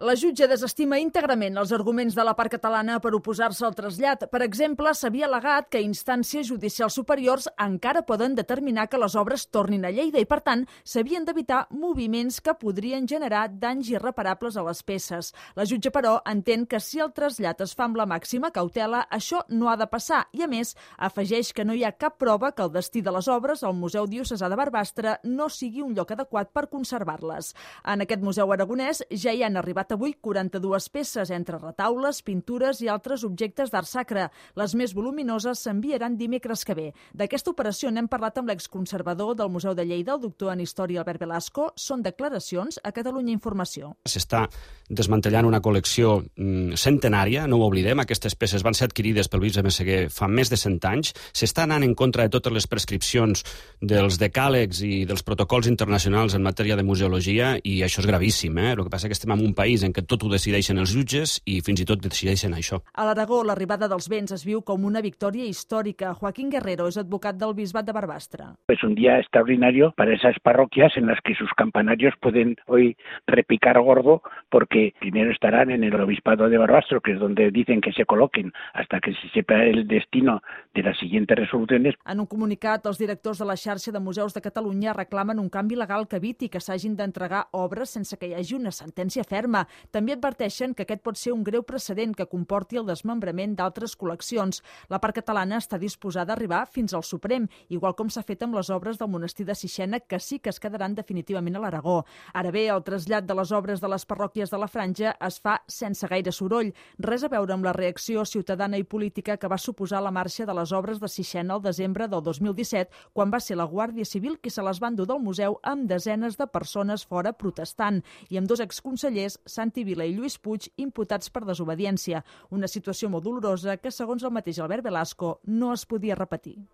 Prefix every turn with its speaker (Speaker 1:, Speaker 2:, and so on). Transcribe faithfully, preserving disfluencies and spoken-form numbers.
Speaker 1: La jutge desestima íntegrament els arguments de la part catalana per oposar-se al trasllat. Per exemple, s'havia al·legat que instàncies judicials superiors encara poden determinar que les obres tornin a Lleida i, per tant, s'havien d'evitar moviments que podrien generar danys irreparables a les peces. La jutge, però, entén que si el trasllat es fa amb la màxima cautela, això no ha de passar i, a més, afegeix que no hi ha cap prova que el destí de les obres al Museu Diocesà de Barbastre no sigui un lloc adequat per conservar-les. En aquest museu aragonès ja hi han arribat avui quaranta-dues peces, entre retaules, pintures i altres objectes d'art sacre. Les més voluminoses s'enviaran dimecres que ve. D'aquesta operació n'hem parlat amb l'exconservador del Museu de Lleida, el doctor en Història Albert Velasco. Són declaracions a Catalunya Informació.
Speaker 2: S'està desmantellant una col·lecció mm, centenària, no ho oblidem, aquestes peces van ser adquirides pel bisbe Messeguer fa més de cent anys, s'està anant en contra de totes les prescripcions dels decàlegs i dels protocols internacionals en matèria de museologia i això és gravíssim, eh? El que passa és que estem en un país en què tot ho decideixen els jutges i fins i tot decideixen això.
Speaker 1: A l'Aragó, l'arribada dels béns es viu com una victòria històrica. Joaquín Guerrero és advocat del Bisbat de Barbastre.
Speaker 3: Es un día extraordinario para esas parroquias en las que sus campanarios pueden hoy repicar gordo porque primero estarán en el Obispado de Barbastro, que es donde dicen que se coloquen hasta que se sepa el destino de las siguientes resoluciones.
Speaker 1: En un comunicat, els directors de la xarxa de museus de Catalunya reclamen un canvi legal que eviti que s'hagin d'entregar obres sense que hi hagi una sentència ferma. També adverteixen que aquest pot ser un greu precedent que comporti el desmembrament d'altres col·leccions. La part catalana està disposada a arribar fins al Suprem, igual com s'ha fet amb les obres del monestir de Sixena, que sí que es quedaran definitivament a l'Aragó. Ara bé, el trasllat de les obres de les parròquies de la Franja es fa sense gaire soroll. Res a veure amb la reacció ciutadana i política que va suposar la marxa de les obres de Sixena al desembre del dos mil disset, quan va ser la Guàrdia Civil qui se les va endur del museu amb desenes de persones fora protestant i amb dos exconsellers, Santi Vila i Lluís Puig, imputats per desobediència. Una situació molt dolorosa que, segons el mateix Albert Velasco, no es podia repetir.